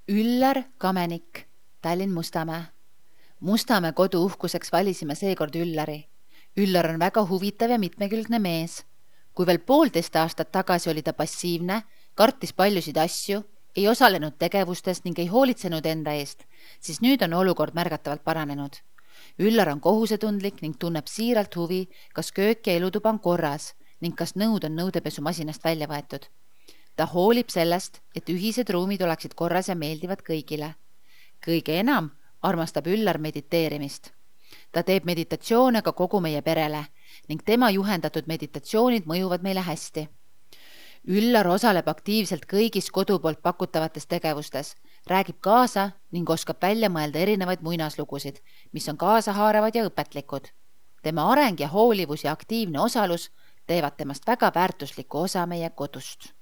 Üllar Kamenik, Tallinn Mustamäe. Mustamäe kodu uhkuseks valisime seekord Üllari. Üllar on väga huvitav ja mitmekülgne mees. Kui veel 1,5 aastat tagasi oli ta passiivne, kartis paljusid asju, ei osalenud tegevustes ning ei hoolitsenud enda eest, siis nüüd on olukord märgatavalt paranenud. Üllar on kohusetundlik ning tunneb siiralt huvi, kas köök ja elutuba on korras ning kas nõud on nõudepesumasinast välja võetud. Ta hoolib sellest, et ühised ruumid oleksid korras ja meeldivad kõigile. Kõige enam armastab Üllar mediteerimist. Ta teeb meditatsioone ka kogu meie perele ning tema juhendatud meditatsioonid mõjuvad meile hästi. Üllar osaleb aktiivselt kõigis kodu poolt pakutavates tegevustes, räägib kaasa ning oskab välja mõelda erinevaid muinaslugusid, mis on kaasahaaravad ja õpetlikud. Tema areng ja hoolivus ja aktiivne osalus teevad temast väga väärtusliku osa meie kodust.